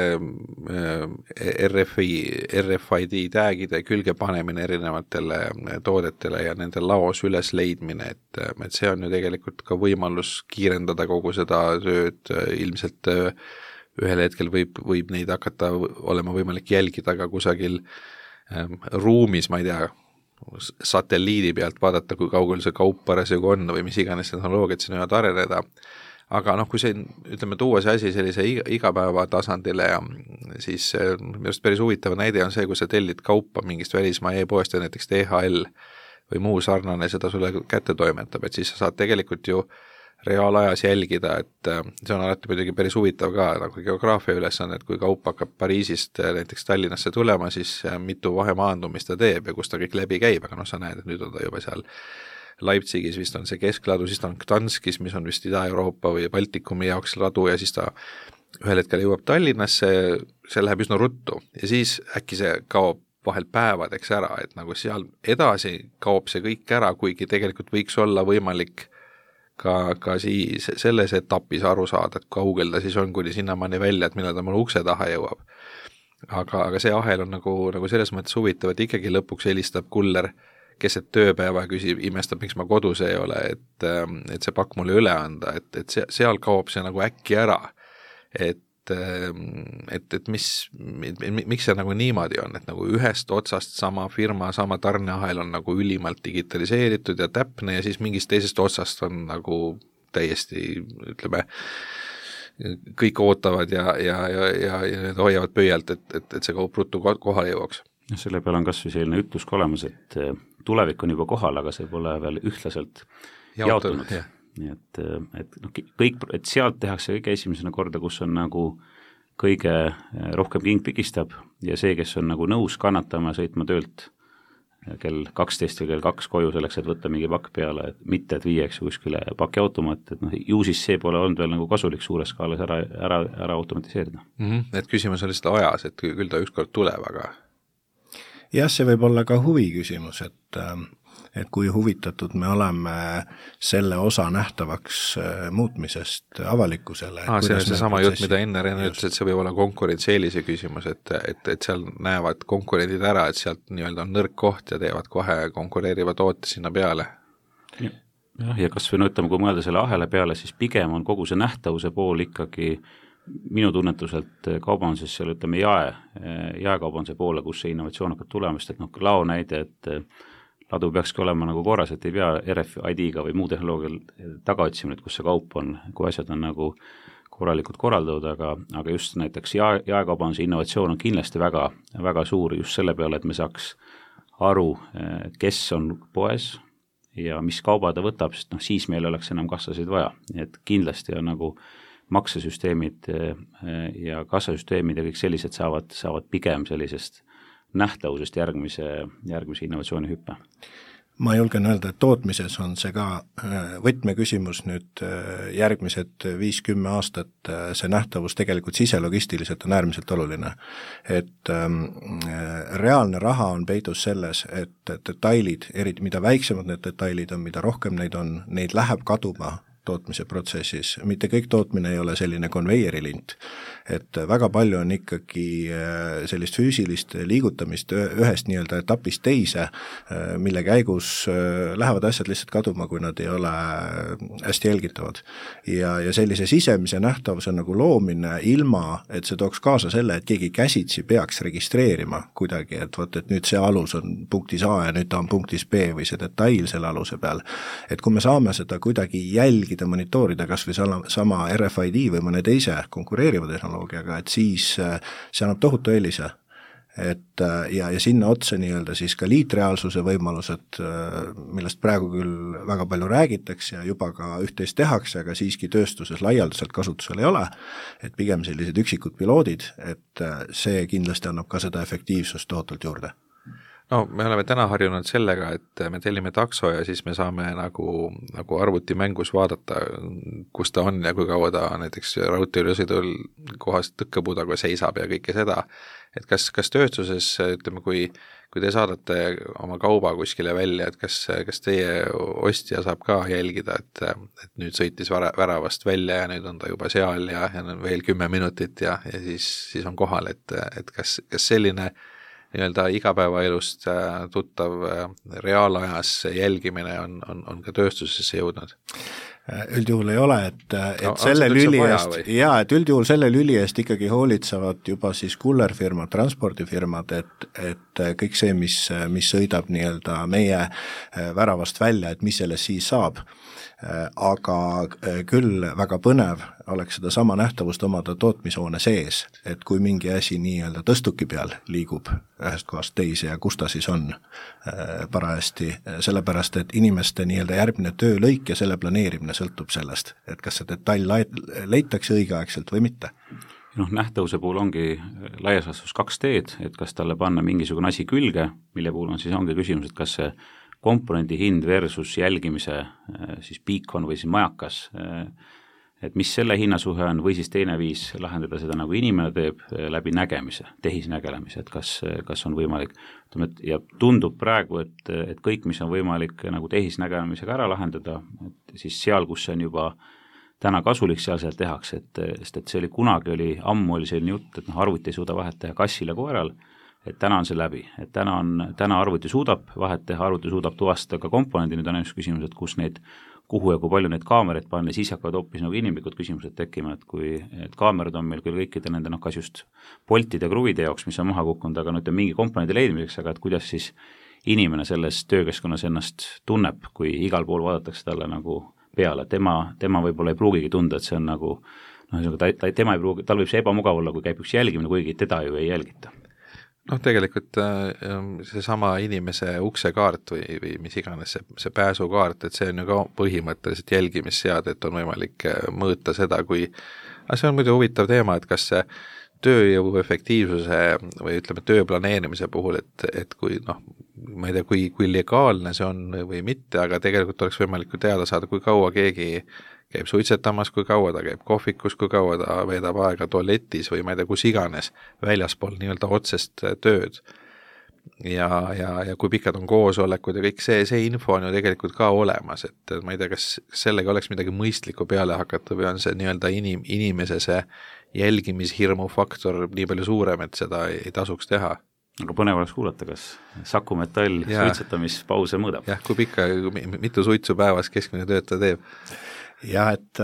RFID tagide külge panemine erinevatele toodetele ja nende laos üles leidmine, et see on ju tegelikult ka võimalus kiirendada kogu seda tööd, ilmselt ühel hetkel võib neid hakata olema võimalik jälgida ka kusagil ruumis, ma ei tea, satelliidi pealt vaadata, kui kaugel see kaup parasjagu on või mis iganes tehnoloogiad siin võivad areneda. Aga kui see, ütleme, tuua see asi sellise igapäeva tasandile ja siis minu arust päris huvitav näide on see, kui sa tellid kaupa mingist välismaa e-poest ja näiteks DHL või muu sarnane seda sulle kätte toimetab, et siis sa saad tegelikult ju reaalajas jälgida, et see on alati muidugi päris huvitav ka nagu geograafia ülesanne, et kui kaup hakkab Pariisist näiteks Tallinnasse tulema, siis mitu vahemaandumist ta teeb ja kus ta kõik läbi käib, aga sa näed, et nüüd on ta juba seal Leipzigis vist on see keskladu, siis ta on Gdanskis, mis on vist Ida-Euroopa või Baltikumi jaoks ladu ja siis ta ühel hetkel jõuab Tallinnasse, see läheb üsna ruttu ja siis äkki see kaob vahel päevadeks ära, et nagu seal edasi kaob see kõik ära, kuigi tegelikult võiks olla võimalik ka siis selles etapis aru saada, et kaugel ta siis on, kuni sinnamaani välja, et millal ta mul ukse taha jõuab. Aga see ahel on nagu selles mõttes huvitav, et ikkagi lõpuks helistab kuller keset tööpäeva küsib, imestab, miks ma kodus ei ole, et see pakk mulle üle anda, et seal kaob see nagu äkki ära. Et miks see nagu niimoodi on, et nagu ühest otsast sama firma, sama tarneahel on nagu ülimalt digitaliseeritud ja täpne ja siis mingist teisest otsast on nagu täiesti, ütleme, kõik ootavad ja need hoiavad pöialt, et see kaup ruttu kohale jõuaks. Selle peale on kas või selline ütlus ka olemas, et tulevik on juba kohal, aga see pole veel ühtlaselt jaotunud. Nii et kõik, et sealt tehakse kõige esimesena korda, kus on nagu kõige rohkem king pigistab ja see, kes on nagu nõus kannatama ja sõitma töölt kell 12 või kell 2 koju selleks, et võtta mingi pakk peale, et mitte, et viieks kuskile pakiautomaat, et ju siis see pole olnud veel nagu kasulik suures skaalas ära automatiseerida. Et küsimus on lihtsalt ajas, et küll ta ükskord tuleb, aga jah, see võib olla ka huvi küsimus, et kui huvitatud me oleme selle osa nähtavaks muutmisest avalikkusele. See on see sama jutt, mida enne ütles, et see võib olla konkurentsieelise küsimus, et seal näevad konkurendid ära, et sealt nii-öelda on nõrk koht ja teevad kohe konkureeriva toote sinna peale. Jah, ja kas või ütleme, kui mõelda selle ahela peale, siis pigem on kogu see nähtavuse pool ikkagi minu tunnetuselt kaubanduses seal ütleme jaekaubanduse poole, kus see innovatsioon hakkab tulemast, et lao näide, et ladu peakski olema nagu korras, et ei pea RFID-ga või muu tehnoloogial taga otsima, et kus see kaup on, kui asjad on nagu korralikult korraldatud, aga just näiteks jaekaubanduse innovatsioon on kindlasti väga, väga suur just selle peale, et me saaks aru, kes on poes ja mis kauba ta võtab, sest siis meil oleks enam kassasid vaja, et kindlasti on nagu maksesüsteemid ja kassasüsteemid ja kõik sellised saavad pigem sellisest nähtavusest järgmise innovatsiooni hüppe. Ma julgen öelda, et tootmises on see ka võtmeküsimus nüüd järgmised 5-10 aastat, see nähtavus tegelikult siselogistiliselt on äärmiselt oluline. Et reaalne raha on peidus selles, et detailid, eriti mida väiksemad need detailid on, mida rohkem neid on, neid läheb kaduma tootmise protsessis, mitte kõik tootmine ei ole selline konveierilint, et väga palju on ikkagi sellist füüsilist liigutamist ühest nii-öelda etapist teise, mille käigus lähevad asjad lihtsalt kaduma, kui nad ei ole hästi jälgitavad. Ja sellise sisemise nähtavuse nagu loomine ilma, et see tooks kaasa selle, et keegi käsitsi peaks registreerima kuidagi, et võt, et nüüd see alus on punktis A ja nüüd ta on punktis B või see detail selle aluse peal. Et kui me saame seda kuidagi jälgida, monitoorida kas või sama RFID või mõne teise konkureeriva tehnoloogiaga, et siis see annab tohutu eelise. Et, ja sinna otsa nii-öelda siis ka liitreaalsuse võimalused, millest praegu küll väga palju räägitakse ja juba ka üht-teist tehakse, aga siiski tööstuses laialdaselt kasutusel ei ole, et pigem sellised üksikud piloodid, et see kindlasti annab ka seda efektiivsust tohutult juurde. No me oleme täna harjunud sellega, et me tellime takso ja siis me saame nagu arvutimängus vaadata, kus ta on ja kui kaua ta näiteks raudteeülesõidul kohas tõkkepuudaga seisab ja kõike seda. Et kas tööstuses, ütleme, kui te saadate oma kauba kuskile välja, et kas teie ostja saab ka jälgida, et nüüd sõitis väravast välja ja nüüd on ta juba seal ja veel 10 minutit ja siis on kohal, et kas selline nii-öelda igapäevaelust tuttav reaalajas jälgimine on ka tööstusesse jõudnud? Üldjuhul ei ole, et selle lüli eest, et üldjuhul selle lüli eest ikkagi hoolitsevad juba siis kullerfirmad, transpordifirmad, et kõik see, mis sõidab nii-öelda meie väravast välja, et mis sellest siis saab. Aga küll väga põnev oleks seda sama nähtavust omada tootmishoone sees, et kui mingi asi nii-öelda tõstuki peal liigub ühest kohast teise ja kus ta siis on parajasti, sellepärast et inimeste nii-öelda järgmine töölõik ja selle planeerimine sõltub sellest, et kas see detail leitakse õigeaegselt või mitte. Nähtavuse puhul ongi laias laastus 2 teed, et kas talle panna mingisugune asi külge, mille puhul on siis ongi küsimus, et kas see komponendi hind versus jälgimise siis beacon või siis majakas, et mis selle hinnasuhe on või siis teine viis lahendada seda nagu inimene teeb läbi nägemise, tehisnägelemise, et kas on võimalik, ja tundub praegu, et kõik, mis on võimalik nagu tehisnägelemisega ära lahendada, et siis seal, kus see on juba täna kasulik, seal tehakse, sest see oli kunagi ammu oli selline jutt, et arvuti ei suuda vahet teha kassil ja koeral, et täna on see läbi, et täna arvuti suudab vahet teha, arvuti suudab tuvastada ka komponendi, nüüd on üks küsimus, et kus neid kuhu ja kui palju neid kaameraid panna, siis hakkavad hoopis nagu inimlikud küsimused tekkima, et kui et kaamerad on meil küll kõikide nende kas just poltide ja kruvide jaoks, mis on maha kukkunud, aga mingi komponendi leidmiseks, aga et kuidas siis inimene selles töökeskkonnas ennast tunneb, kui igal pool vaadatakse talle nagu peale, tema võib-olla ei pruugigi tunda, et see on nagu tema ei pruugi, tal võib see ebamugav olla, kui käib üks jälgimine, kuigi teda ju ei jälgita. Tegelikult seesama inimese uksekaart või mis iganes see pääsukaart, et see on ju ka põhimõtteliselt jälgimisseade, et on võimalik mõõta seda, kui see on muidu huvitav teema, et kas see tööjõu efektiivsuse või ütleme töö planeerimise puhul, et kui ma ei tea, kui legaalne see on või mitte, aga tegelikult oleks võimalik teada saada, kui kaua keegi käib suitsetamas, kui kaua ta käib kohvikus, kui kaua ta veedab aega tualetis või ma ei tea, kus iganes väljaspool nii-öelda otsest tööd. Ja kui pikad on koosolekud ja kõik see info on ju tegelikult ka olemas, et ma ei tea, kas sellega oleks midagi mõistlikku peale hakata või on see nii-öelda inimese see jälgimishirmu faktor nii palju suurem, et seda ei tasuks teha. Aga põnev oleks kuulata, kas Saku Metall suitsetamispause mõõdab? Jah, kui pikka, mitu suitsu päevas keskmine töötaja teeb? Jah, et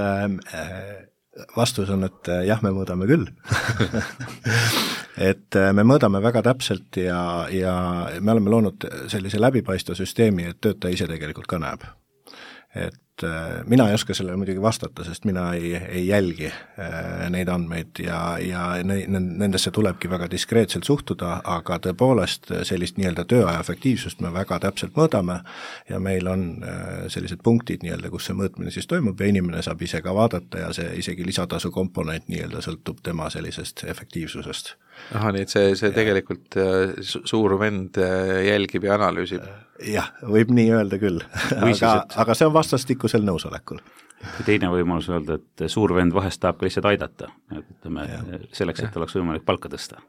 vastus on, et jah, me mõõdame küll. Et me mõõdame väga täpselt ja me oleme loonud sellise läbipaistva süsteemi, et töötaja ise tegelikult ka näeb. Et mina ei oska sellele muidugi vastata, sest mina ei jälgi neid andmeid ja nendesse tulebki väga diskreetselt suhtuda, aga tõepoolest sellist nii-öelda tööaja efektiivsust me väga täpselt mõõdame ja meil on sellised punktid nii-öelda, kus see mõõtmine siis toimub ja inimene saab ise ka vaadata ja see isegi lisatasu komponent nii-öelda sõltub tema sellisest efektiivsusest. Nii et see tegelikult suur vend jälgib ja analüüsib. Jah, võib nii öelda küll, aga see on vastastikusel nõusolekul. Teine võimalus öelda, et suur vend vahest tahab ka lihtsalt aidata, selleks, et oleks võimalik palka tõsta.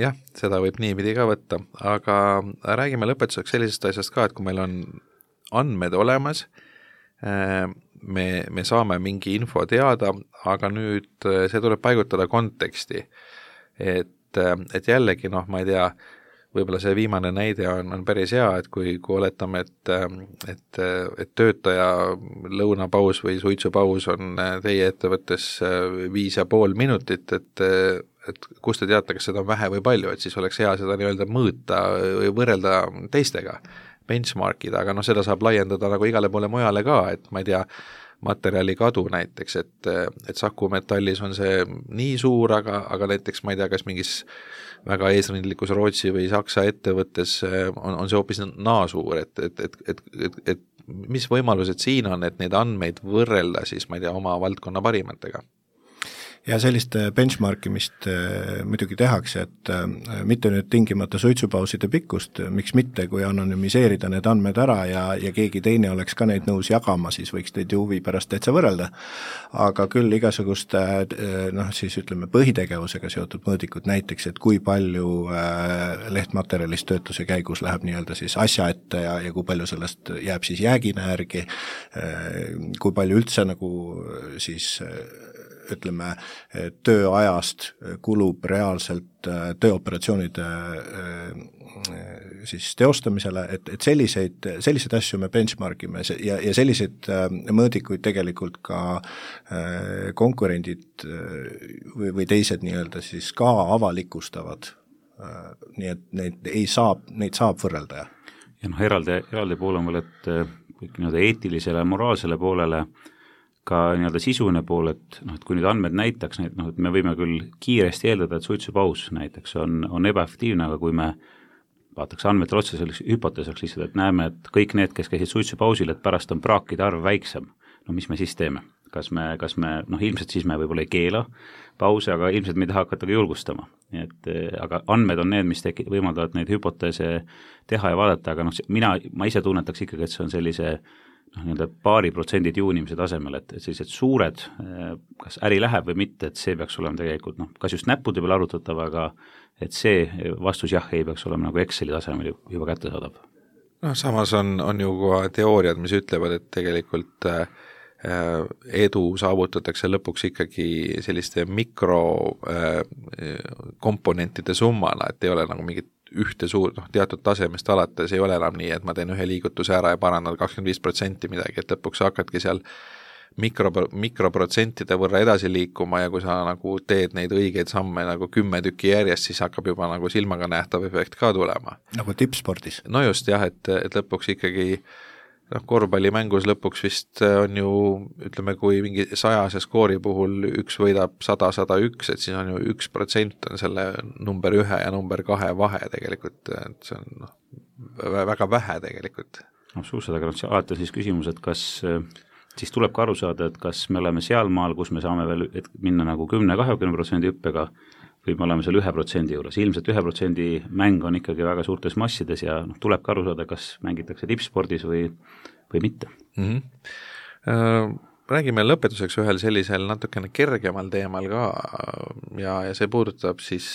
Jah, seda võib niipidi ka võtta, aga räägime lõpetuseks sellisest asjast ka, et kui meil on andmed olemas, me saame mingi info teada, aga nüüd see tuleb paigutada konteksti. Et jällegi, ma ei tea, võib-olla see viimane näide on päris hea, et kui oletame, et töötaja lõunapaus või suitsupaus on teie ettevõttes 5,5 minutit, et kus te teate, kas seda on vähe või palju, et siis oleks hea seda nii-öelda mõõta või võrrelda teistega, benchmarkida, aga seda saab laiendada nagu igale poole mujale ka, et ma ei tea, materjali kadu näiteks, et Saku Metallis on see nii suur, aga näiteks ma ei tea, kas mingis väga eesrindlikus Rootsi või Saksa ettevõttes on see hoopis naasuur, et mis võimalused siin on, et neid andmeid võrrelda siis, ma ei tea, oma valdkonna parimatega? Ja sellist benchmarkimist muidugi tehakse, et mitte nüüd tingimata suitsupauside pikkust, miks mitte, kui anonüümiseerida need andmed ära ja keegi teine oleks ka neid nõus jagama, siis võiks teid huvi pärast täitsa võrrelda. Aga küll igasuguste, siis ütleme põhitegevusega seotud mõõdikud näiteks, et kui palju lehtmaterjalist töötuse käigus läheb nii-öelda siis asja ette ja kui palju sellest jääb siis jäägina järgi, kui palju üldse nagu siis ütleme, tööajast kulub reaalselt tööoperatsioonide siis teostamisele, et selliseid asju me benchmarkime ja selliseid mõõdikuid tegelikult ka konkurendid või teised nii-öelda siis ka avalikustavad. Nii et neid saab võrrelda. Ja eraldi pool on veel, et kõik eetilisele ja moraalsele poolele ka sisuline pool, et kui nüüd andmed näitaks, et me võime küll kiiresti eeldada, et suitsupaus näiteks on ebaefektiivne, aga kui me vaataks andmetel otsa selleks hüpoteesaks lihtsalt, et näeme, et kõik need, kes käisid suitsupausil, et pärast on praakide arv väiksem, mis me siis teeme? Kas me ilmselt siis me võib-olla ei keela pause, aga ilmselt me ei taha hakata ka julgustama. Aga andmed on need, mis võimaldavad neid hüpoteese teha ja vaadata, aga ma ise tunnetaks ikkagi, et see on sellise paari protsendid juunimise tasemel, et sellised suured, kas äri läheb või mitte, et see peaks olema tegelikult, kas just näppude peal arutatav, aga et see vastus jah, ei peaks olema nagu Exceli tasemel juba kättesaadav. Samas on ju ka teooriad, mis ütlevad, et tegelikult edu saavutatakse lõpuks ikkagi selliste mikrokomponentide summana, et ei ole nagu mingit ühte suur, teatud tasemest alates ei ole enam nii, et ma teen ühe liigutuse ära ja parandan 25% midagi, et lõpuks hakkadki seal mikroprotsentide võrra edasi liikuma ja kui sa nagu teed neid õigeid samme nagu 10 tükki järjest, siis hakkab juba nagu silmaga nähtav efekt ka tulema. Nagu tippspordis. No just jah, et lõpuks ikkagi korvpallimängus lõpuks vist on ju, ütleme, kui mingi 100 skoori puhul üks võidab 100-101, et siis on ju 1% on selle number 1 ja number 2 vahe tegelikult, et see on väga vähe tegelikult. Absoluutselt, aga alati on siis küsimus, et kas siis tuleb ka aru saada, et kas me oleme seal maal, kus me saame veel minna nagu 10-20% hüppega või me oleme seal 1% juures. Ilmselt 1% mäng on ikkagi väga suurtes massides ja tuleb ka aru saada, kas mängitakse tippspordis või mitte. Räägime lõpetuseks ühel sellisel natukene kergemal teemal ka ja see puudutab siis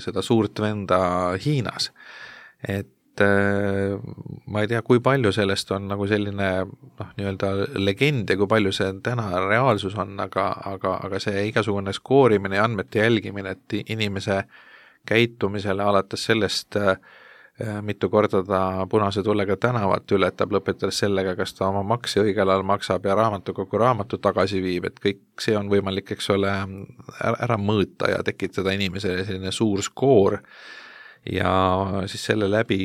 seda suurt venda Hiinas. Et ma ei tea, kui palju sellest on nagu selline nii-öelda legend ja kui palju see täna reaalsus on, aga see igasugune skoorimine ja andmete jälgimine, et inimese käitumisele alates sellest, mitu korda ta punase tullega tänavat ületab, lõpetades sellega, kas ta oma maksi õigel ajal maksab ja raamatukogu raamatu tagasi viib, et kõik see on võimalik, eks ole, ära mõõta ja tekitada inimesele selline suur skoor ja siis selle läbi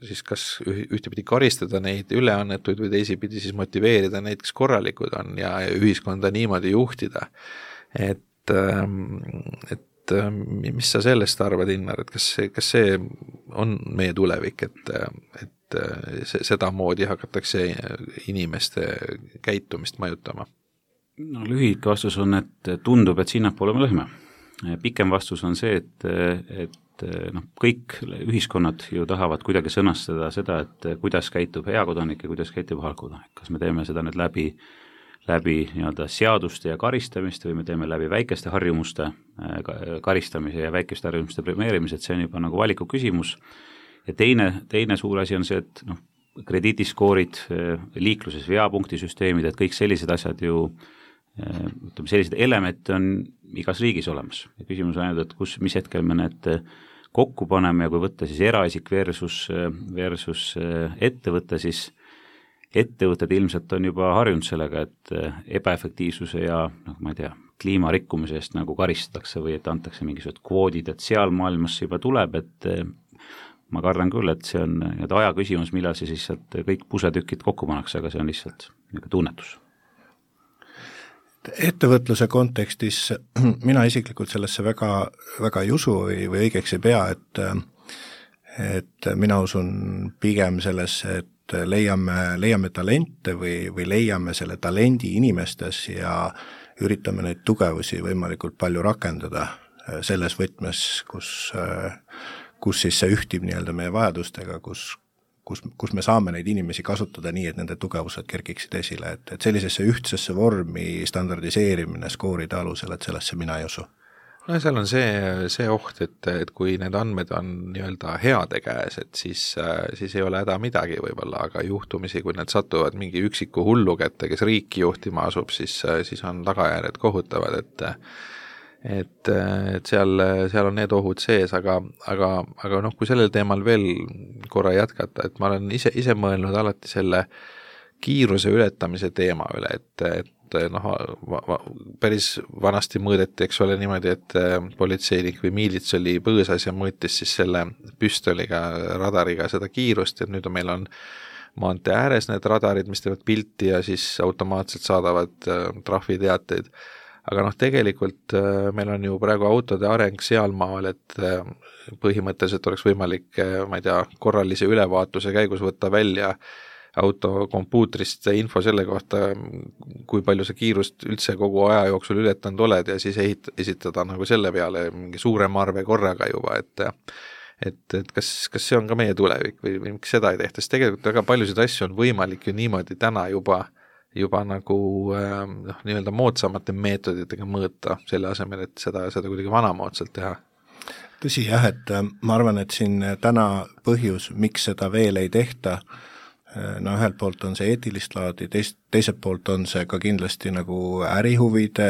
siis kas ühtepidi karistada neid üleannetuid või teisipidi siis motiveerida neid, kes korralikud on ja ühiskonda niimoodi juhtida. Et mis sa sellest arvad, Innar, et kas see on meie tulevik, et seda moodi hakatakse inimeste käitumist mõjutama? No lühike vastus on, et tundub, et sinnapoole me lõhme. Pikem vastus on see, et kõik ühiskonnad ju tahavad kuidagi sõnastada seda, et kuidas käitub hea kodanik ja kuidas käitub halb kodanik. Kas me teeme seda nüüd läbi nii-öelda seaduste ja karistamist või me teeme läbi väikeste harjumuste karistamise ja väikeste harjumuste premeerimise, et see on juba nagu valiku küsimus. Ja teine suur asi on see, et krediidiskoorid, liikluses veapunktisüsteemid, et kõik sellised asjad ju sellised elemente on igas riigis olemas. Ja küsimus on ainult, et mis hetkel me need kokku paneme ja kui võtta siis eraisik versus ettevõte, siis ettevõtted ilmselt on juba harjunud sellega, et ebaefektiivsuse ja ma ei tea, kliimarikkumise eest nagu karistatakse või et antakse mingisugused kvoodid, et seal maailmas juba tuleb, et ma kardan küll, et see on aja küsimus, millal see siis kõik pusetükid kokku pannakse, aga see on lihtsalt tunnetus. Ettevõtluse kontekstis mina isiklikult sellesse väga ei usu või õigeks ei pea, et mina usun pigem sellesse, et leiame talente või leiame selle talendi inimestes ja üritame neid tugevusi võimalikult palju rakendada selles võtmes, kus siis see ühtib nii-öelda meie vajadustega, kus me saame neid inimesi kasutada nii, et nende tugevused kerkiksid esile, et sellisesse ühtsesse vormi standardiseerimine skooride alusel, et sellesse mina ei usu. No seal on see oht, et kui need andmed on nii-öelda heade käes, et siis ei ole häda midagi võib-olla, aga juhtumisi, kui need satuvad mingi üksiku hullu kätte, kes riiki juhtima asub, siis on tagajärjed kohutavad, et seal on need ohud sees, aga kui sellel teemal veel korra jätkata, et ma olen ise mõelnud alati selle kiiruse ületamise teema üle, et päris vanasti mõõdeti, eks ole niimoodi, et politseinik või miilits oli põõsas ja mõõtis siis selle püstoliga, radariga seda kiirust, et nüüd meil on maantee ääres need radarid, mis teevad pilti ja siis automaatselt saadavad trahviteateid. Aga tegelikult meil on ju praegu autode areng sealmaal, et põhimõtteliselt oleks võimalik, ma ei tea, korralise ülevaatuse käigus võtta välja auto kompuutrist info selle kohta, kui palju sa kiirust üldse kogu aja jooksul ületanud oled ja siis esitada nagu selle peale mingi suurem arve korraga juba, et kas see on ka meie tulevik või miks seda ei tehta, sest tegelikult väga paljusid asju on võimalik ju niimoodi täna juba nagu nii-öelda moodsamate meetoditega mõõta selle asemel, et seda kuidagi vanamoodsalt teha. Tõsi jah, et ma arvan, et siin täna põhjus, miks seda veel ei tehta, no ühelt poolt on see eetilist laadi, teiselt poolt on see ka kindlasti nagu ärihuvide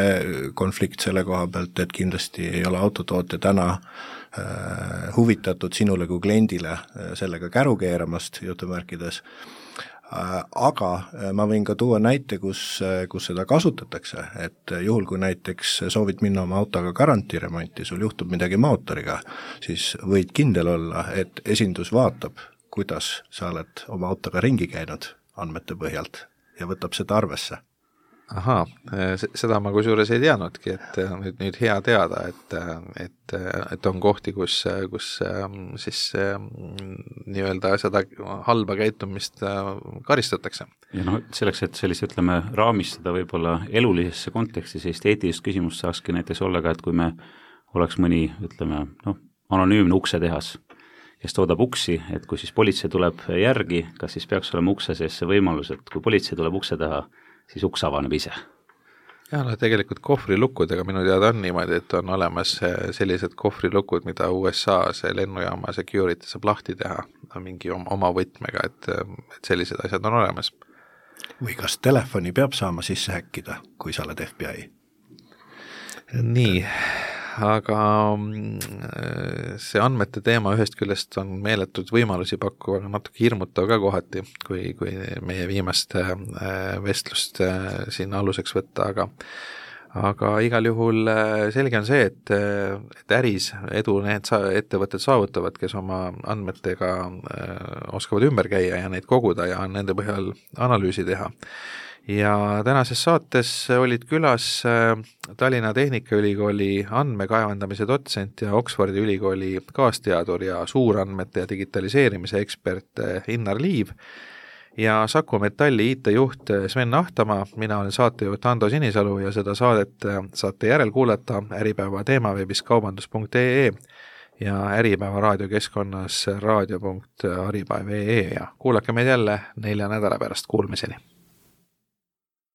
konflikt selle koha pealt, et kindlasti ei ole autotootja täna huvitatud sinule kui kliendile sellega käru keeramast jutumärkides, aga ma võin ka tuua näite, kus seda kasutatakse, et juhul, kui näiteks soovid minna oma autoga garantiiremonti, sul juhtub midagi mootoriga, siis võid kindel olla, et esindus vaatab, kuidas sa oled oma autoga ringi käinud andmete põhjalt ja võtab seda arvesse. Ahaa, seda ma kusjuures ei teadnudki, et nüüd hea teada, et on kohti, kus siis nii-öelda seda halba käitumist karistatakse. Ja selleks, et sellise, ütleme, raamistada võib-olla elulisesse konteksti, sellist eetilist küsimust saakski näiteks olla ka, et kui me oleks mõni, ütleme, anonüümne uksetehas, kes toodab uksi, et kui siis politsei tuleb järgi, kas siis peaks olema ukse sees see võimalus, et kui politsei tuleb ukse taha, siis uks avaneb ise. Ja tegelikult kohvrilukkudega minu teada on niimoodi, et on olemas sellised kohvrilukud, mida USA see lennujaama security saab lahti teha mingi oma võtmega, et sellised asjad on olemas. Või kas telefoni peab saama sisse häkkida, kui sa oled FBI? Nii, aga see andmete teema ühest küljest on meeletud võimalusi pakkuva, aga natuke hirmutav ka kohati, kui meie viimast vestlust siin aluseks võtta, aga igal juhul selge on see, et äris edu need ettevõtted saavutavad, kes oma andmetega oskavad ümber käia ja neid koguda ja nende põhjal analüüsi teha. Ja tänases saates olid külas Tallinna Tehnikaülikooli andmekaevandamise dotsent ja Oxfordi ülikooli kaasteadur ja suurandmete ja digitaliseerimise ekspert Innar Liiv ja Saku Metalli IT-juht Sven Ahtamaa, mina olen saatejuht Ando Sinisalu ja seda saadet saate järel kuulata Äripäeva teemaveebis kaubandus.ee ja Äripäeva raadiokeskkonnas raadio.aripäev.ee ja kuulake meid jälle 4 nädala pärast, kuulmiseni!